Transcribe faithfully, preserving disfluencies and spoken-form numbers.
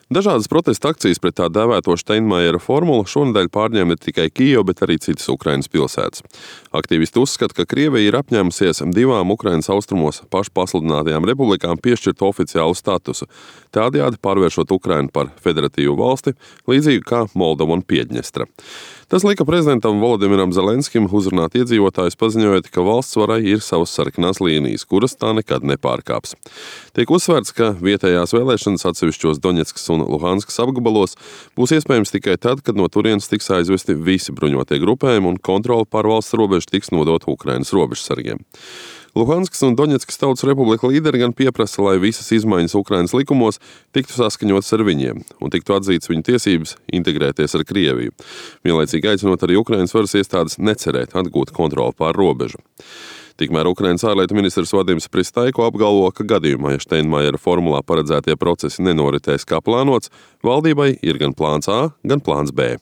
Dažādas protesta akcijas pret tā dēvēto Steinmeiera formulu šonedēļ pārņēma ne tikai Kijeva, bet arī citas Ukrainas pilsētas. Aktīvisti uzskata, ka Krievija ir apņēmusies divām Ukrainas austrumos pašpasludinātajām republikām piešķirt oficiālu statusu, tādējādi pārvēršot Ukrainu par federatīvu valsti, līdzīgi kā Moldova un Piedņestra. Tas lika prezidentam Volodimiram Zelenskim uzrunāt iedzīvotājus, paziņojot, ka valsts varai ir savas sarkanās līnijas, kuras tā nekad nepārkāps. Tiek uzsvērts, ka vietējās vēlēšanas atsevišķos Doņetskas un Luhanskas apgabalos būs iespējams tikai tad, kad no turienes tiks aizvesti visi bruņotie grupējumi un kontrole pār valsts robežu tiks nodota Ukrainas robežsargiem. Luhanskas un Doņetskas Tautas Republika līderi gan pieprasa, lai visas izmaiņas Ukrainas likumos tiktu saskaņotas ar viņiem un tiktu atzītas viņu tiesības integrēties ar Krieviju, vienlaicīgi aicinot arī Ukrainas varas iestādes necerēt atgūt kontroli pār robežu. Tikmēr Ukrainas ārlietu ministrs Vadims Pristaiko apgalvo, ka gadījumā, ja Steinmeiera formulā paredzētie procesi nenoritēs kā plānots, valdībai ir gan plāns A, gan plāns B.